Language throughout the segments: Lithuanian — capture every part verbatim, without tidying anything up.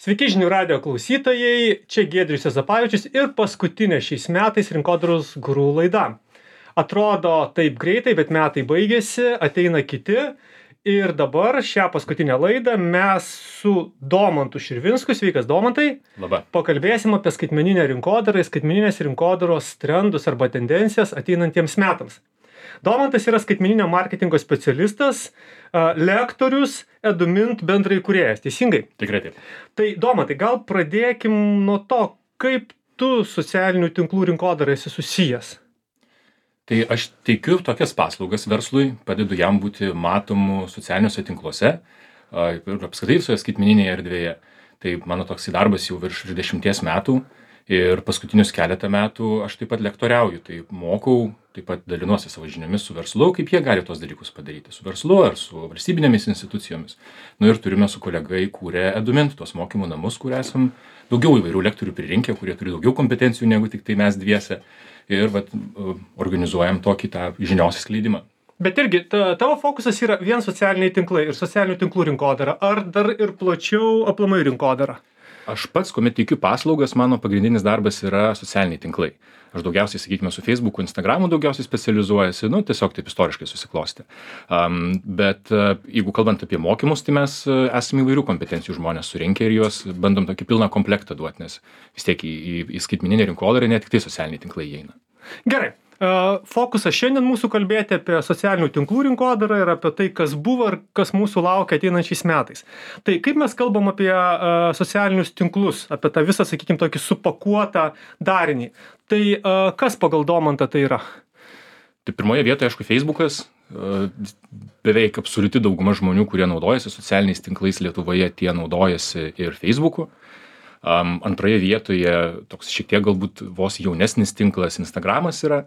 Sveiki žinių radijo klausytojai, čia Giedrius Juozapavičius ir paskutinė šiais metais Rinkodaros guru laida. Atrodo taip greitai, bet metai baigėsi, ateina kiti ir dabar šią paskutinę laidą mes su Domantu Širvinsku, sveikas Domantai, Labą. Pakalbėsim apie skaitmeninę rinkodarą ir skaitmeninės rinkodaros trendus arba tendencijas ateinantiems metams. Domantas yra skaitmeninio marketingo specialistas, lektorius, Edumint bendraįkūrėjas, teisingai? Tikrai taip. Tai Domantai, gal pradėkim nuo to, kaip tu socialinių tinklų rinkodarai esi susijęs? Tai aš teikiu tokias paslaugas verslui, padedu jam būti matomu socialiniuose tinkluose ir apskritai visoje skaitmeninėje erdvėje. Tai mano toks darbas jau virš dvidešimties metų ir paskutinius keletą metų aš taip pat lektoriauju, tai mokau, taip pat dalinuosi savo žiniomis su verslu, kaip jie gali tos dalykus padaryti, su verslu ar su valstybinėmis institucijomis. Nu ir turime su kolega įkūrę Edumint, tuos mokymų namus, kur esam daugiau įvairių lektorių pririnkę, kurie turi daugiau kompetencijų negu tik tai mes dviese. Ir vat, organizuojam tokį tą žinios skleidimą. Bet irgi, ta, tavo fokusas yra vien socialiniai tinklai ir socialinių tinklų rinkodara, ar dar ir plačiau aplamai rinkodara? Aš pats, kuomet teikiu paslaugas, mano pagrindinis darbas yra socialiniai tinklai. Aš daugiausiai, sakykime, su Facebooku, Instagramu daugiausiai specializuojasi, nu, tiesiog taip istoriškai susiklostė. Um, bet uh, jeigu kalbant apie mokymus, tai mes uh, esame įvairių kompetencijų žmonės surinkę ir juos bandom tokį pilną komplektą duoti, nes vis tiek į, į, į skaitmeninę rinkodarą ne tik tai socialiniai tinklai įeina. Gerai. Fokusas šiandien mūsų kalbėti apie socialinių tinklų rinkodarą ir apie tai, kas buvo ir kas mūsų laukia ateinančiais metais. Tai kaip mes kalbam apie uh, socialinius tinklus, apie tą visą, sakykime, tokį supakuotą darinį. Tai uh, kas pagal Domantą tai yra? Tai pirmoje vietoje, aišku, Facebookas. Uh, beveik absoliuti dauguma žmonių, kurie naudojasi socialiniais tinklais Lietuvoje, tie naudojasi ir Facebooku. Um, antroje vietoje toks šiek tiek galbūt vos jaunesnis tinklas Instagramas yra.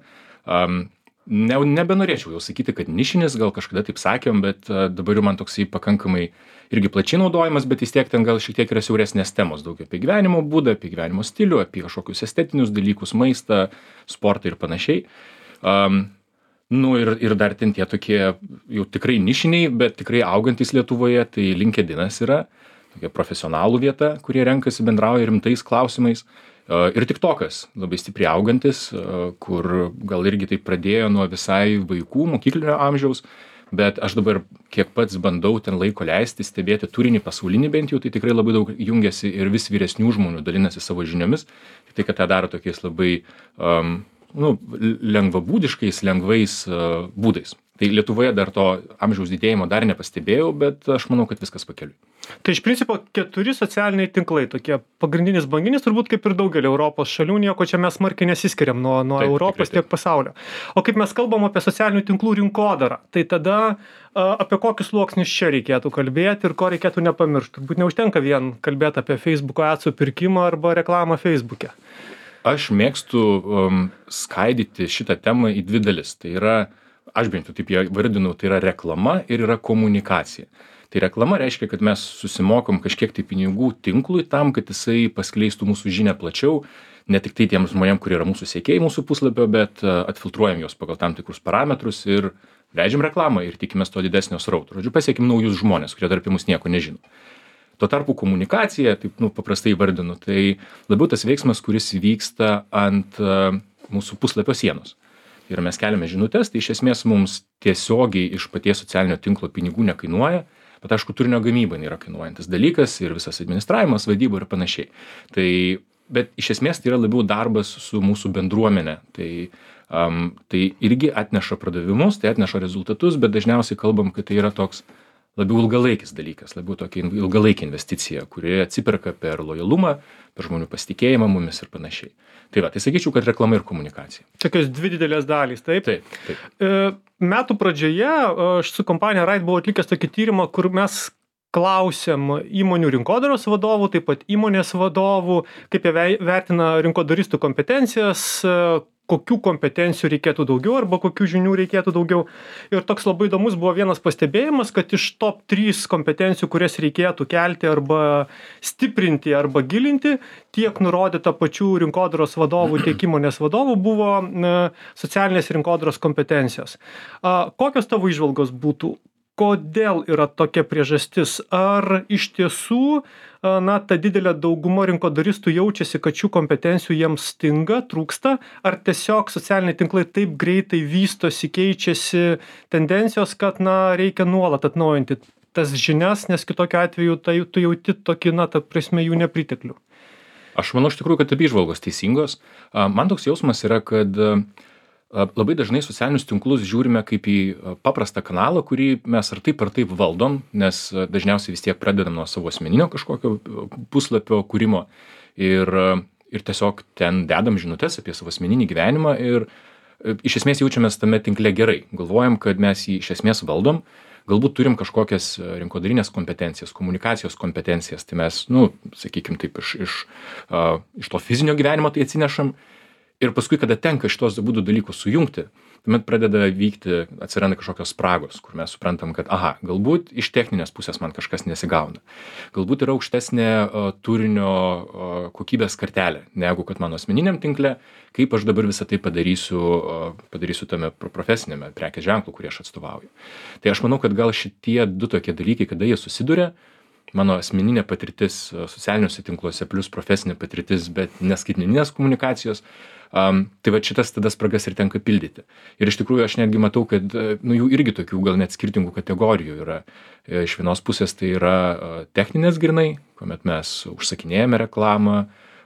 Um, ne, nebenorėčiau jau sakyti, kad nišinis, gal kažkada taip sakėm, bet uh, dabar jau man toksai pakankamai irgi plačiai naudojimas, bet vis tiek ten gal šiek tiek yra siauresnės temos, daug apie gyvenimo būdą, apie gyvenimo stilių, apie kažkokius estetinius dalykus, maistą, sportą ir panašiai. Um, nu ir, ir dar ten tie tokie jau tikrai nišiniai, bet tikrai augantis Lietuvoje, tai LinkedInas yra. Tokia profesionalų vieta, kurie renkasi bendrauja rimtais klausimais. Ir TikTokas labai stipriai augantis, kur gal irgi tai pradėjo nuo visai vaikų, mokyklinio amžiaus, bet aš dabar kiek pats bandau ten laiko leisti, stebėti turinį pasaulinį bent jau, tai tikrai labai daug jungiasi ir vis vyresnių žmonių dalinasi savo žiniomis. Tai, kad tą daro tokiais labai um, nu, lengvabūdiškais, lengvais uh, būdais. Tai Lietuvoje dar to amžiaus didėjimo dar nepastebėjau, bet aš manau, kad viskas pakeliui. Tai iš principo keturi socialiniai tinklai, tokie pagrindinis banginis, turbūt kaip ir daugelį Europos šalių, nieko čia mes smarkiai nesiskiriam nuo, nuo taip, Europos tiek pasaulio. O kaip mes kalbam apie socialinių tinklų rinkodarą, tai tada a, apie kokius sluoksnius čia reikėtų kalbėti ir ko reikėtų nepamiršti. Turbūt neužtenka vien kalbėti apie Facebooko adsų pirkimą arba reklamą Facebook'e. Aš mėgstu um, skaidyti šitą temą į dvi dalis. Tai yra, aš bent jau taip ją vardinu, tai yra reklama ir yra komunikacija. Tai reklama reiškia, kad mes susimokom kažkiek tai pinigų tinklui tam, kad jisai paskleistų mūsų žinią plačiau, ne tik tai tiems žmonėms, kurie yra mūsų sekėjai mūsų puslapio, bet atfiltruojam juos pagal tam tikrus parametrus ir leidžiam reklamą ir tikimės to didesnio srauto. Žodžiu, pasiekim naujus žmonės, kurie dar apie mus nieko nežino. Tuo tarpu komunikacija, taip nu, paprastai vardinu, tai labiau tas veiksmas, kuris vyksta ant uh, mūsų puslapio sienos. Ir mes keliame žinutes, tai iš esmės mums tiesiogiai iš paties socialinio tinklo pinigų nekainuoja, bet aišku, turinio gamyba yra kainuojantis dalykas ir visas administravimas, vadyba ir panašiai. Tai, bet iš esmės tai yra labiau darbas su mūsų bendruomenė. Tai, um, tai irgi atneša pradavimus, tai atneša rezultatus, bet dažniausiai kalbam, kad tai yra toks labiau ilgalaikis dalykas, labiau tokia ilgalaikė investicija, kuri atsiperka per lojalumą, per žmonių pasitikėjimą mumis ir panašiai. Tai va, tai sakyčiau, kad reklama ir komunikacija. Tokios dvi didelės dalys, taip? Taip, taip. E, metų pradžioje aš su kompanija Right buvau atlikęs tokį tyrimą, kur mes klausėm įmonių rinkodaros vadovų, taip pat įmonės vadovų, kaip jie vertina rinkodaristų kompetencijas, kokių kompetencijų reikėtų daugiau arba kokių žinių reikėtų daugiau. Ir toks labai įdomus buvo vienas pastebėjimas, kad iš top trys kompetencijų, kurias reikėtų kelti arba stiprinti arba gilinti, tiek nurodyta pačių rinkodaros vadovų, tiek įmonės vadovų buvo socialinės rinkodaros kompetencijos. Kokios tavo įžvalgos būtų? kodėl yra tokia priežastis? Ar iš tiesų, na, ta didelė dauguma rinkodaristų jaučiasi, kad šių kompetencijų jiems stinga, trūksta, ar tiesiog socialiniai tinklai taip greitai vystosi, keičiasi tendencijos, kad, na, reikia nuolat atnaujinti tas žinias, nes kitokiu atveju tai tu jauti tokį, na, ta prasme, jų nepriteklių? Aš manau, iš tikrųjų, kad abi įžvalgos teisingos. Man toks jausmas yra, kad labai dažnai socialinius tinklus žiūrime kaip į paprastą kanalą, kurį mes ar taip ar taip valdom, nes dažniausiai vis tiek pradedam nuo savo asmeninio kažkokio puslapio kūrimo ir, ir tiesiog ten dedam žinutes apie savo asmeninį gyvenimą ir iš esmės jaučiamės tame tinkle gerai. Galvojam, kad mes jį iš esmės valdom, galbūt turim kažkokias rinkodarinės kompetencijas, komunikacijos kompetencijas, tai mes, nu, sakykim taip, iš, iš, uh, iš to fizinio gyvenimo tai atsinešam. Ir paskui, kada tenka šitos abudu dalykus sujungti, tuomet pradeda vykti, atsiranda kažkokios spragos, kur mes suprantam, kad, aha, galbūt iš techninės pusės man kažkas nesigauna. Galbūt yra aukštesnė uh, turinio uh, kokybės kartelė, negu kad mano asmeniniam tinkle, kaip aš dabar visą tai padarysiu, uh, padarysiu tame profesinėme prekės ženklų, kurį aš atstovauju. Tai aš manau, kad gal šitie du tokie dalykai, kada jie susiduria, mano asmeninė patirtis socialiniuose tinkluose plus profesinė patirtis, bet neskaitmeninės komunikacijos, um, tai va šitas tada spragas ir tenka pildyti. Ir iš tikrųjų aš netgi matau, kad nu, jų irgi tokių gal net skirtingų kategorijų yra. Iš vienos pusės tai yra techninės grinai, kuomet mes užsakinėjame reklamą,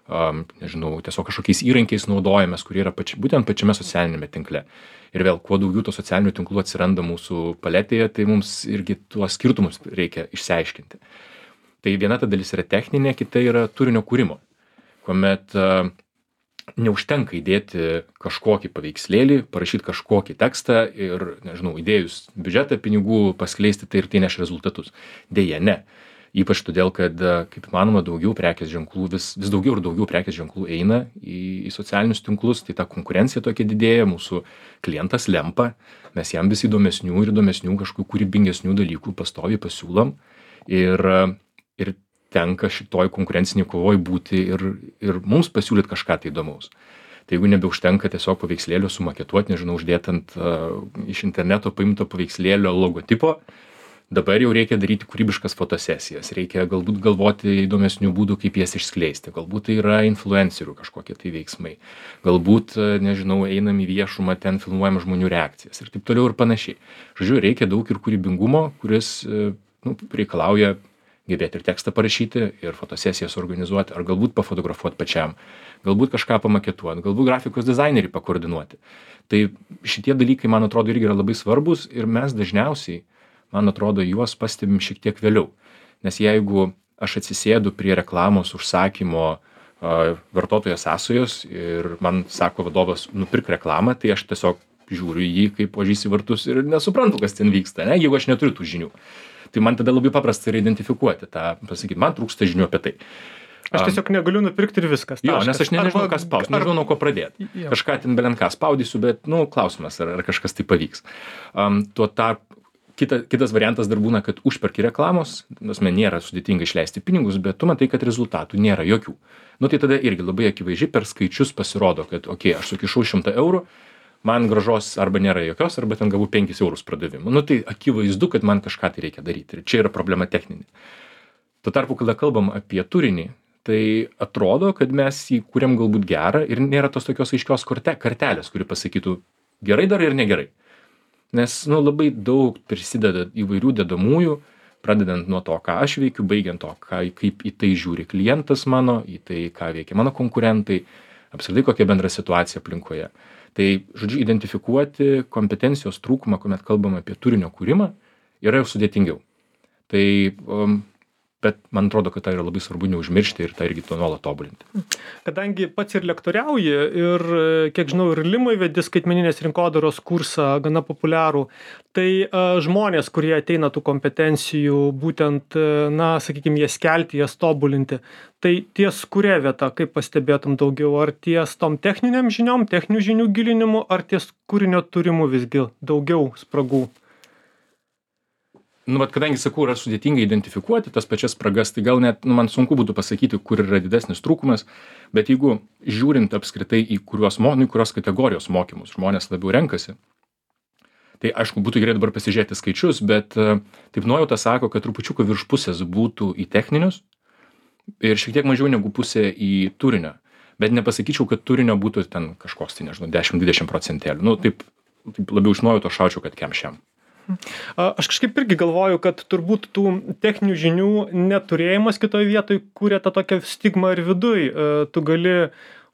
um, nežinau, tiesiog kažkokiais įrankiais naudojamės, kurie yra pači, būtent pačiame socialinėme tinkle. Ir vėl, kuo daugiau to socialinių tinklų atsiranda mūsų paletėje, tai mums irgi tuos skirtumus reikia išsiaiškinti. Tai viena ta dalis yra techninė, kita yra turinio kūrimo, kuomet uh, neužtenka įdėti kažkokį paveikslėlį, parašyti kažkokį tekstą ir, nežinau, įdėjus biudžetą pinigų paskleisti tai ir tai neš rezultatus. Deja, ne. Ypač todėl, kad, kaip manoma, daugiau prekės ženklų, vis, vis daugiau ir daugiau prekės ženklų eina į, į socialinius tinklus, tai ta konkurencija tokia didėja, mūsų klientas lempa, mes jam vis įdomesnių ir įdomesnių kažkokių kūrybingesnių dalykų pastoviai pasiūlom ir, ir tenka šitoj konkurenciniai kovoj būti ir, ir mums pasiūlyti kažką tai įdomaus. Tai jeigu nebeužtenka tiesiog paveikslėlio sumaketuoti, nežinau, uždėti ant uh, iš interneto paimto paveikslėlio logotipo, dabar jau reikia daryti kūrybiškas fotosesijas, reikia galbūt galvoti įdomesnių būdų, kaip jas išskleisti, galbūt tai yra influencerių kažkokie tai veiksmai, galbūt, nežinau, einam į viešumą, ten filmuojam žmonių reakcijas ir taip toliau ir panašiai. Žodžiu, reikia daug ir kūrybingumo, kuris nu, reikalauja gebėti ir tekstą parašyti, ir fotosesijas organizuoti, ar galbūt pafotografuoti pačiam, galbūt kažką pamaketuoti, galbūt grafikos dizainerį pakoordinuoti. Tai šitie dalykai, man atrodo, irgi yra labai svarbus ir mes dažniausiai, man atrodo, juos pastebim šiek tiek vėliau. Nes jeigu aš atsisėdu prie reklamos užsakymo uh, vartotojo sąsajos ir man sako vadovas, nupirk reklamą, tai aš tiesiog žiūriu į jį kaip ožys į vartus ir nesuprantu, kas ten vyksta, ne? Jeigu aš neturiu tų žinių. Tai man tada labai paprasta yra identifikuoti tą, pasakyti, man trūksta žinių apie tai. Aš tiesiog negaliu nupirkti ir viskas. Jo, nes aš ne, nežinau, ką spausti, nežinau, nuo ko pradėti. Jo. Kažką ten belent ką spaudysiu, bet, nu, klausimas, ar, ar kažkas tai pavyks. Um, tuo tarp, kita, kitas variantas dar būna, kad užperki reklamos, nes man nėra sudėtinga išleisti pinigus, bet tu matai, kad rezultatų nėra jokių. Nu, tai tada irgi labai akivaizdžiai per skaičius pasirodo, kad, okei, okay, aš sukišau šimtą eurų, man gražos arba nėra jokios, arba ten gavau penkis eurus pradavimų. Nu, tai akivaizdu, kad man kažką tai reikia daryti. Ir čia yra problema techninė. Tuo tarpu, kada kalbam apie turinį, tai atrodo, kad mes jį kuriam galbūt gerą ir nėra tos tokios aiškios korte, kartelės, kuri pasakytų gerai dar ir negerai. Nes, nu, labai daug prisideda įvairių dedamųjų, pradedant nuo to, ką aš veikiu, baigiant to, ką, kaip į tai žiūri klientas mano, į tai, ką veikia mano konkurentai, apskritai kokia bendra situacija aplinkoje. Tai, žodžiu, identifikuoti kompetencijos trūkumą, kuomet kalbam apie turinio kūrimą, yra jau sudėtingiau. Tai, um, bet man atrodo, kad tai yra labai svarbu neužmiršti ir tą irgi to nuolat tobulinti. Kadangi pats ir lektoriauji ir, kiek žinau, ir Limoj vedi skaitmeninės rinkodaros kursą gana populiarų, tai uh, žmonės, kurie ateina tų kompetencijų, būtent, na, sakykime, jas kelti, jas tobulinti, tai ties kuria vieta, kaip pastebėtum daugiau, ar ties tom techniniam žiniom, techninių žinių gilinimu, ar ties kūrinio turimu visgi daugiau spragų? Nu, bet kadangi, sakau, yra sudėtinga identifikuoti tas pačias spragas, tai gal net, nu, man sunku būtų pasakyti, kur yra didesnis trūkumas, bet jeigu žiūrint apskritai į kurios, mo, nu, kurios kategorijos mokymus žmonės labiau renkasi, Tai aišku, būtų gerai dabar pasižiūrėti skaičius, bet taip nuojauta sako, kad trupučiuką virš pusės būtų į techninius ir šiek tiek mažiau negu pusė į turinio. Bet nepasakyčiau, kad turinio būtų ten kažkoks, tai nežinau, dešimt dvidešimt procentėlių. Nu, taip, taip labiau iš nuojauto šaučiau, kad kem šiam. Aš kažkaip irgi galvoju, kad turbūt tų techninių žinių neturėjimas kitoje vietoje kūrė tą tokią stigmą ir viduj. Tu gali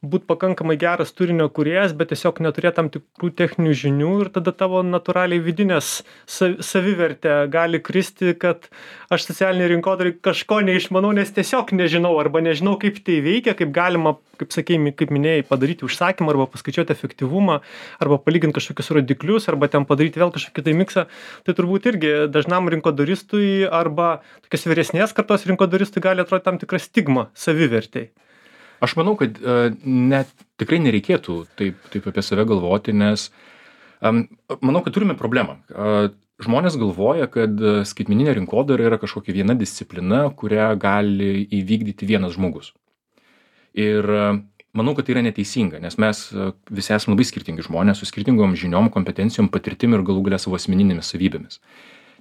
būt pakankamai geras turinio kūrėjas, bet tiesiog neturėt tam tikrų techninių žinių ir tada tavo natūraliai vidinės savivertė gali kristi, kad aš socialiniai rinkodarai kažko neišmanau, nes tiesiog nežinau arba nežinau, kaip tai veikia, kaip galima, kaip sakėjai, kaip minėjai, padaryti užsakymą arba paskaičiuoti efektyvumą arba palyginti kažkokius rodiklius arba ten padaryti vėl kažkokį tai miksą. Tai turbūt irgi dažnam rinkodaristui arba tokios vyresnės kartos rinkodaristui gali atrodyti tam tikra stigma savivertei. Aš manau, kad uh, net tikrai nereikėtų taip, taip apie save galvoti, nes um, manau, kad turime problemą. Uh, žmonės galvoja, kad skaitmeninė rinkodara yra kažkokia viena disciplina, kurią gali įvykdyti vienas žmogus. Ir uh, manau, kad tai yra neteisinga, nes mes uh, visi esame labai skirtingi žmonės su skirtingom žiniom, kompetencijom, patirtim ir galų galia savo asmeninėmis savybėmis.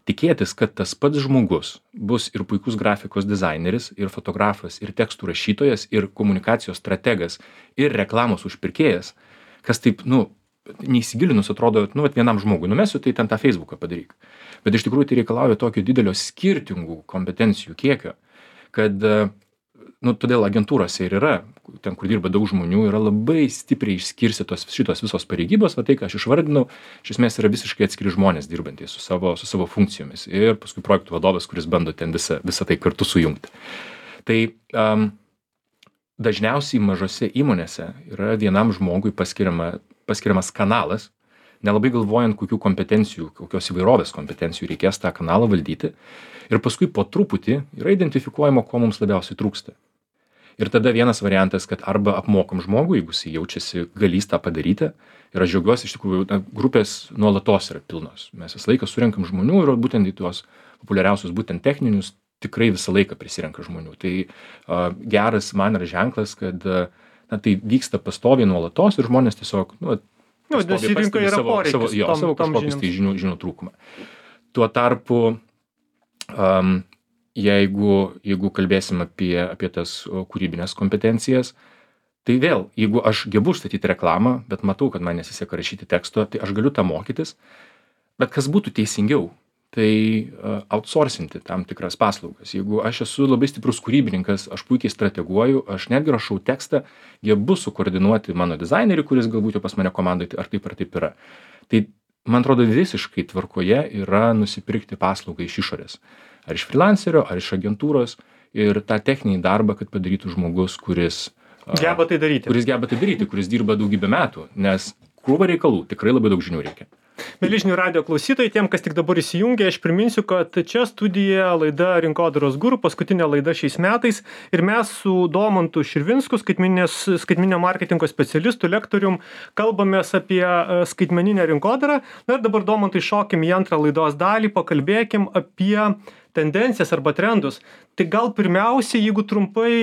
Tikėtis, kad tas pats žmogus bus ir puikus grafikos dizaineris, ir fotografas, ir tekstų rašytojas, ir komunikacijos strategas, ir reklamos užpirkėjas, kas taip, nu, neįsigilinus atrodo, nu, vat vienam žmogui, numesiu, tai ten tą Facebooką padaryk. Bet iš tikrųjų tai reikalauja tokio didelio skirtingų kompetencijų kiekio, kad, nu, todėl agentūrose ir yra, ten, kur dirba daug žmonių, yra labai stipriai išskirstytos šitos visos pareigybos, va tai, ką aš išvardinau, iš esmės yra visiškai atskiri žmonės dirbantys su savo, su savo funkcijomis ir paskui projektų vadovas, kuris bando ten visą, visą tai kartu sujungti. Tai um, dažniausiai mažose įmonėse yra vienam žmogui paskiriama, paskiriamas kanalas, nelabai galvojant, kokių kompetencijų, kokios įvairovės kompetencijų reikės tą kanalą valdyti ir paskui po truputį yra identifikuojama, ko mums labiausiai trūksta. Ir tada vienas variantas, kad arba apmokam žmogų, jeigu jis jaučiasi galys tą padaryti. Ir aš džiaugiuosi, iš tikrųjų, na, grupės nuolatos yra pilnos. Mes visą laiką surenkam žmonių ir būtent į tuos populiariausius, būtent techninius, tikrai visą laiką prisirenka žmonių. Tai uh, geras man yra ženklas, kad uh, na, tai vyksta pastoviai nuolatos ir žmonės tiesiog, nu, nu pastoviai pastebi savo, savo, jo, tom, savo kažkokius tai žinių, žinių trūkumą. Tuo tarpu um, Jeigu, jeigu kalbėsim apie, apie tas kūrybinės kompetencijas, tai vėl, jeigu aš gebu statyti reklamą, bet matau, kad man nesiseka rašyti teksto, tai aš galiu tą mokytis, bet kas būtų teisingiau, tai uh, outsourcinti tam tikras paslaugas. Jeigu aš esu labai stiprus kūrybininkas, aš puikiai strateguoju, aš netgi rašau tekstą, gebu sukoordinuoti mano dizainerį, kuris galbūt jau pas mane komandoje ar taip ar taip yra. Tai, man atrodo, visiškai tvarkoje yra nusipirkti paslaugą iš išorės. Ar iš freelancerio, ar iš agentūros ir tą techninį darbą, kad padarytų žmogus, kuris geba tai daryti. Kuris geba tai daryti, kuris dirba daugybę metų, nes krūva reikalų, tikrai labai daug žinių reikia. Mieli žinių radijo klausytojai, tiem, kas tik dabar įsijungia, aš priminsiu, kad čia studijoje laida Rinkodaros guru, paskutinė laida šiais metais ir mes su Domantu Širvinsku, skaitmeninio marketingo specialistu, lektorium, kalbamės apie skaitmeninę rinkodarą. Na ir dabar, Domantai, šokim į antrą laidos dalį, pakalbėkim apie tendencijas arba trendus. Tai gal pirmiausia, jeigu trumpai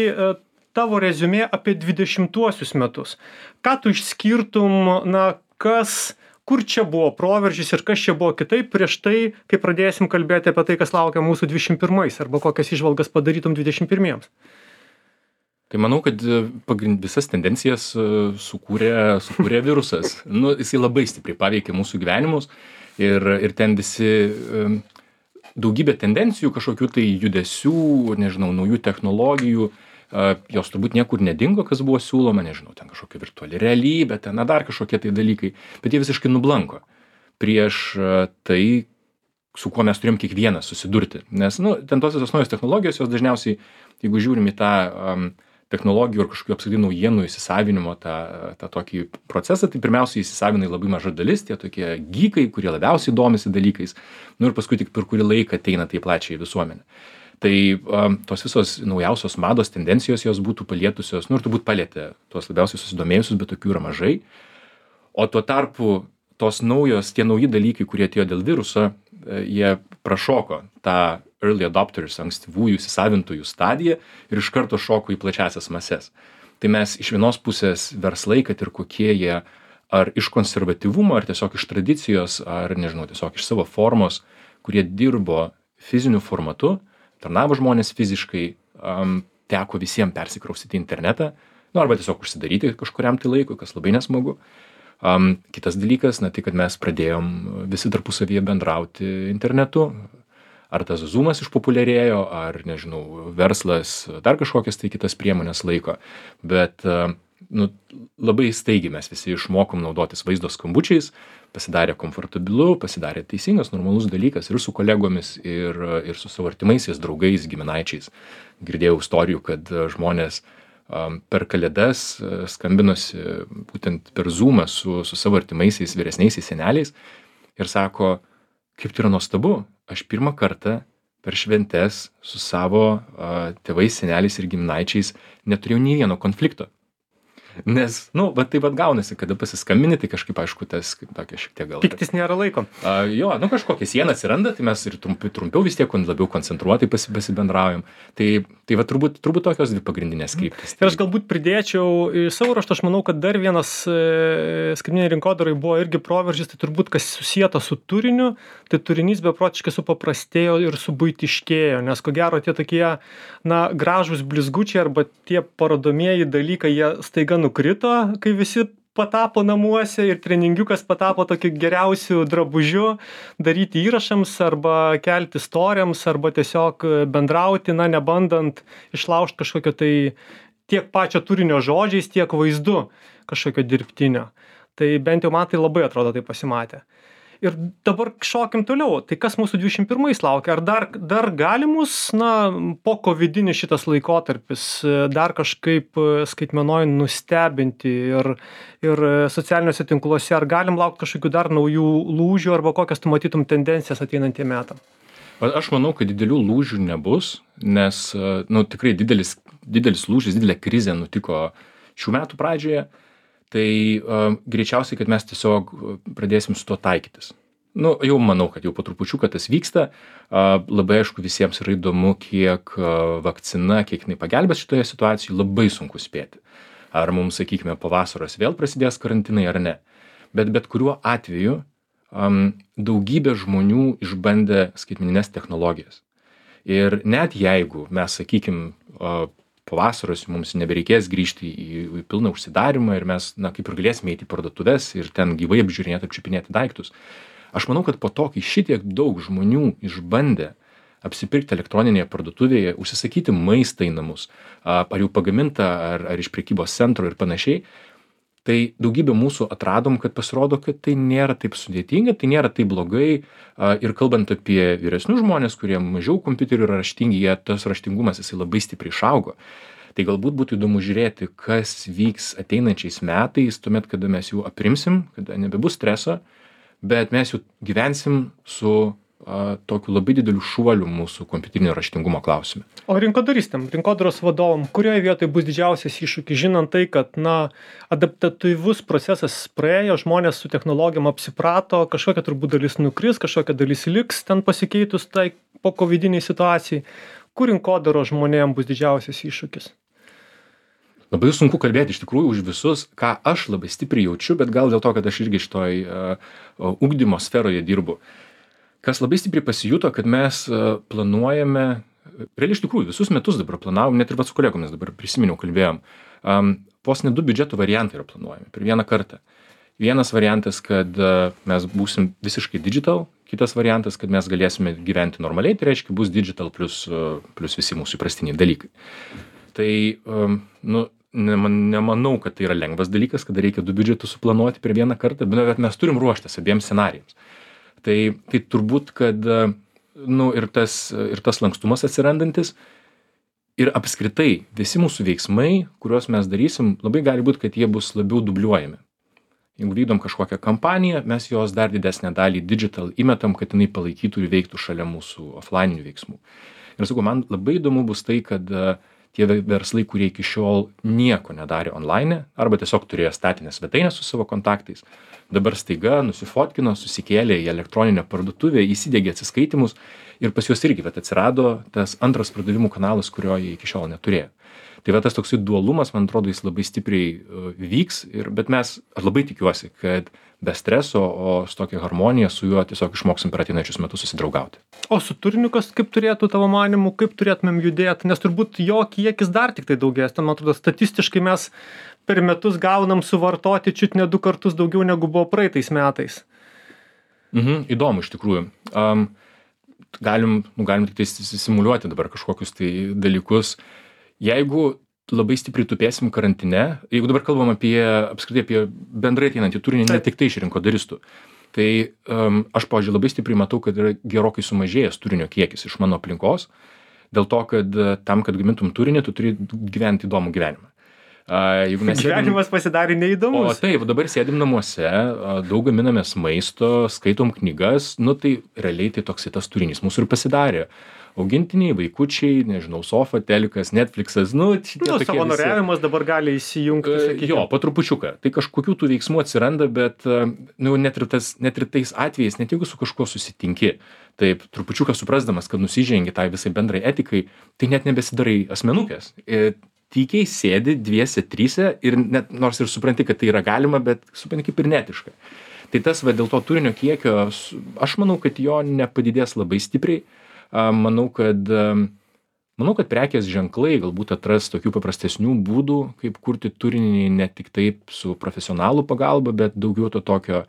tavo reziumė apie dvidešimtuosius metus. Ką tu išskirtum, na, kas, kur čia buvo proveržis ir kas čia buvo kitaip prieš tai, kai pradėsim kalbėti apie tai, kas laukia mūsų dvidešimt pirmais arba kokias įžvalgas padarytum dvidešimt pirmiems? Tai manau, kad pagrind, visas tendencijas sukūrė, sukūrė virusas. Nu, jisai labai stipriai paveikė mūsų gyvenimus ir, ir ten visi daugybė tendencijų, kažkokių tai judesių, nežinau, naujų technologijų, jos turbūt niekur nedingo, kas buvo siūloma, nežinau, ten kažkokia virtuali realybė, ten na, dar kažkokie tai dalykai, bet jie visiškai nublanko prieš tai, su kuo mes turėjom kiekvienas susidurti. Nes, nu, ten tos visos naujos technologijos, jos dažniausiai, jeigu žiūrim į tą um, technologijų ir kažkokių apskritai naujienų įsisavinimo tą, tą tokį procesą, tai pirmiausiai įsisavina labai maža dalis, tie tokie geekai, kurie labiausiai domisi dalykais, nu ir paskui tik per kurį laiką ateina tai plačiai visuomenė. Tai um, tos visos naujausios mados tendencijos jos būtų palietusios, nu ir turbūt palietė tuos labiausiai susidomėjusius, bet tokių yra mažai. O tuo tarpu tos naujos, tie nauji dalykai, kurie atėjo dėl viruso, jie prašoko tą early adopters, ankstyvųjų įsisavintųjų stadiją ir iš karto šoko į plačiasias mases. Tai mes iš vienos pusės verslai, kad ir kokie jie ar iš konservatyvumo, ar tiesiog iš tradicijos, ar nežinau, tiesiog iš savo formos, kurie dirbo fiziniu formatu, tarnavo žmonės fiziškai, um, teko visiems persikraustyti į internetą, nu, arba tiesiog užsidaryti kažkuriam tai laikui, kas labai nesmagu. Um, kitas dalykas, na tai, kad mes pradėjom visi tarpusavyje bendrauti internetu, ar tas Zoomas išpopuliarėjo, ar, nežinau, verslas, dar kažkokias tai kitas priemonės laiko, bet uh, nu, labai staigiai mes visi išmokom naudotis vaizdo skambučiais, pasidarė komfortabilu, pasidarė teisingas, normalus dalykas ir su kolegomis, ir, ir su savo artimaisiais, draugais, giminaičiais. Girdėjau istorijų, kad žmonės um, per kalėdas uh, skambinosi būtent per Zoomą su, su savo artimaisiais, vyresniaisiais seneliais ir sako, kaip tai yra nuostabu, aš pirmą kartą per šventes su savo uh, tėvais, seneliais ir giminaičiais neturėjau nei vieno konflikto. Nes, nu, va taip pat gaunasi, kada pasiskambini, tai kažkaip, aišku, tas kaip tokia šiek tiek gal... Piktis nėra laiko. A, jo, nu kažkokia siena atsiranda, tai mes ir trumpi, trumpiau vis tiek labiau koncentruotai pasi, pasibendraujam. Tai, tai va turbūt, turbūt tokios dvi pagrindinės kryptys. Ir aš galbūt pridėčiau į savo ruožtą, aš manau, kad dar vienas e, skaitmeniniai rinkodarai buvo irgi proveržis, tai turbūt kas susijęta su turiniu, tai turinys beprotiškai supaprastėjo ir subuitiškėjo, nes ko gero tie tokie, na, gražūs blizgučiai arba tie parodomieji dalykai, jie staiga nukrito, kai visi patapo namuose ir treningiukas patapo tokiu geriausiu drabužiu daryti įrašams arba kelti storiams arba tiesiog bendrauti, na, nebandant išlaužti kažkokio tai tiek pačio turinio žodžiais, tiek vaizdu kažkokio dirbtinio. Tai bent jau man tai labai atrodo tai pasimatė. Ir dabar šokim toliau. Tai kas mūsų dvidešimt pirmais laukia? Ar dar, dar galimus, na, po kovidinis šitas laikotarpis dar kažkaip skaitmenoj nustebinti ir, ir socialiniuose tinkluose? Ar galim laukti kažkokių dar naujų lūžių arba kokias tu matytum tendencijas ateinantiem metam? Aš manau, kad didelių lūžių nebus, nes, nu, tikrai didelis, didelis lūžis, didelė krizė nutiko šių metų pradžioje. Tai uh, greičiausiai, kad mes tiesiog pradėsim su to taikytis. Nu, jau manau, kad jau po trupučiuką tas vyksta. Uh, labai aišku, visiems yra įdomu, kiek uh, vakcina, kiek jinai pagelbės šitoje situacijoje, labai sunku spėti. Ar mums, sakykime, po vasaros vėl prasidės karantinai ar ne. Bet bet kuriuo atveju um, daugybė žmonių išbandė skaitmenines technologijas. Ir net jeigu mes, sakykime, uh, po vasaros mums nebereikės grįžti į, į pilną užsidarimą ir mes, na, kaip ir galėsime eiti į parduotuves ir ten gyvai apžiūrinėti, apčiupinėti daiktus. Aš manau, kad po to, kai šitiek daug žmonių išbandė apsipirkti elektroninėje parduotuvėje, užsisakyti maistą į namus, ar jau pagamintą, ar, ar iš prekybos centro ir panašiai, tai daugybė mūsų atradom, kad pasirodo, kad tai nėra taip sudėtinga, tai nėra taip blogai. Ir kalbant apie vyresnius žmonės, kurie mažiau kompiuterių yra raštingi, jie, tas raštingumas jisai labai stipriai išaugo. Tai galbūt būtų įdomu žiūrėti, kas vyks ateinančiais metais, tuomet, kada mes jų aprimsim, kada nebebus streso, bet mes jau gyvensim su a, tokiu labai dideliu šuoliu mūsų kompiuterinio raštingumo klausime. O rinkodaristam, rinkodaros vadovam, kurioje vietoje bus didžiausias iššūkis, žinant tai, kad, na, adaptatyvus procesas praėjo, žmonės su technologijom apsiprato, kažkokia turbūt dalis nukris, kažkokia dalis liks ten pasikeitus tai po kovidiniai situacijai. Kur rinkodaros žmonėm bus didžiausias iššūkis? Labai sunku kalbėti iš tikrųjų už visus, ką aš labai stipriai jaučiu, bet gal dėl to, kad aš irgi šitoj uh, ugdymo sferoje dirbu. Kas labai stipriai pasijuto, kad mes uh, planuojame, realiai iš tikrųjų visus metus dabar planavom, net ir vat su kolegomis dabar prisiminiau, kalbėjom, um, vos ne du biudžeto variantai yra planuojami per vieną kartą. Vienas variantas, kad uh, mes būsim visiškai digital, kitas variantas, kad mes galėsime gyventi normaliai, tai reiškia bus digital plus, uh, plus visi mūsų įprastiniai dalykai. Tai, um, nu, nemanau, kad tai yra lengvas dalykas, kada reikia du biudžetus suplanuoti per vieną kartą, bet mes turim ruoštis abiems scenarijams. Tai, tai turbūt, kad nu, ir, tas, ir tas lankstumas atsirandantis ir apskritai visi mūsų veiksmai, kuriuos mes darysim, labai gali būti, kad jie bus labiau dubliuojami. Jeigu vykdom kažkokią kampaniją, mes jos dar didesnę dalį digital įmetam, kad jinai palaikytų ir veiktų šalia mūsų offline'inių veiksmų. Ir sakau, man labai įdomu bus tai, kad tie verslai, kurie iki šiol nieko nedarė online, arba tiesiog turėjo statinę svetainę su savo kontaktais, dabar staiga nusifotkino, susikėlė į elektroninę parduotuvę, įsidegė atsiskaitimus ir pas juos irgi vat, atsirado tas antras pardavimų kanalas, kurio jie iki šiol neturėjo. Tai va tas toksai dualumas, man atrodo, jis labai stipriai uh, vyks, ir, bet mes, aš labai tikiuosi, kad be streso, o su tokia harmonija su juo tiesiog išmoksim per ateinančius metus susidraugauti. O su turiniu kas kaip turėtų tavo manymu, kaip turėtumėm judėti, nes turbūt jo kiekis dar tik tai daugės, ten man atrodo statistiškai mes per metus gaunam suvartoti čiut ne du kartus daugiau negu buvo praeitais metais. Mhm, įdomu iš tikrųjų. Um, galim, nu, galim tik tai simuliuoti dabar kažkokius tai dalykus. Jeigu labai stipriai tupėsim karantine, jeigu dabar kalbam apie, apskritai apie bendrai ateinantį turinį, ne tik tai iš rinkodaristų, tai um, aš, pavyzdžiui, labai stipriai matau, kad yra gerokai sumažėjęs turinio kiekis iš mano aplinkos, dėl to, kad tam, kad gamintum turinį, tu turi gyventi įdomų gyvenimą. Uh, jeigu mes Gyvenimas sėdim, pasidarė o neįdomus. taip, dabar sėdim namuose, uh, daug gaminamės maisto, skaitom knygas, nu tai realiai tai toks tas turinys mūsų ir pasidarė. Augintiniai, vaikučiai, nežinau, sofa, telikas, Netflixas, nu, šitie Nu, tokie visi. savanoriavimas dabar gali įsijungti, E, sakykime. Jo, po trupučiuką. Tai kažkokių tų veiksmų atsiranda, bet e, nu, net, ir tas, net ir tais atvejais, net jeigu su kažkuo susitinki, taip, trupučiuką suprasdamas, kad nusižengi tai visai bendrai etikai, tai net nebesidarai asmenukės. E, tykiai sėdi dviese, tryse ir net, nors ir supranti, kad tai yra galima, bet supranti kaip ir netiška. Tai tas, va, dėl to turinio kiekio, aš manau, kad jo nepadidės labai stipriai. A, manau, kad Manau, kad prekės ženklai galbūt atras tokių paprastesnių būdų, kaip kurti turinį ne tik taip su profesionalų pagalba, bet daugiau to tokio,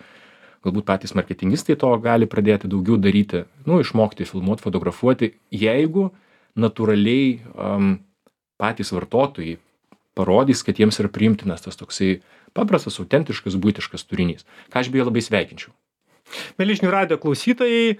galbūt patys marketingistai to gali pradėti daugiau daryti, nu, išmokti filmuoti, fotografuoti, jeigu natūraliai um, patys vartotojai parodys, kad jiems yra priimtinas tas toksai paprastas, autentiškas, buitiškas turinys, ką aš beje labai sveikinčiau. Mieli žinių radijo klausytojai,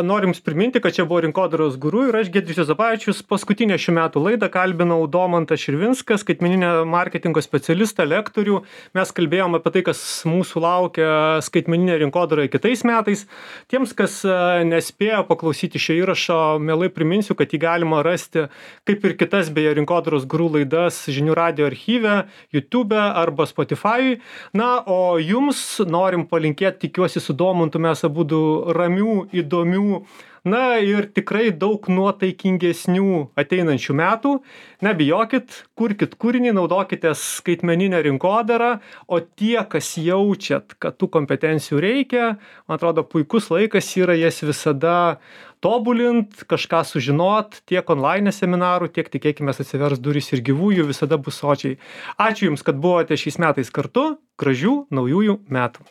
norim jums priminti, kad čia buvo Rinkodaros guru ir aš, Giedrius Juozapavičius, paskutinę šių metų laidą kalbinau Domantą Širvinską, skaitmeninio marketingo specialistą, lektorių. Mes kalbėjom apie tai, kas mūsų laukia skaitmeninė rinkodaroje kitais metais. Tiems, kas nespėjo paklausyti šio įrašo, mielai priminsiu, kad jį galima rasti, kaip ir kitas beje Rinkodaros guru laidas žinių radijo archyve, YouTube arba Spotify. Na, o jums norim palinkėti, tikiuosi su Domantu mes abudu ramių, įdomių, na ir tikrai daug nuotaikingesnių ateinančių metų. Nebijokit, kurkit kūrinį, naudokite skaitmeninę rinkodarą, o tie, kas jaučiat, kad tų kompetencijų reikia, man atrodo, puikus laikas yra jas visada tobulint, kažką sužinot, tiek online seminarų, tiek tikėkime atsivers durys ir gyvųjų, visada bus sočiai. Ačiū Jums, kad buvote šiais metais kartu, gražių naujųjų metų.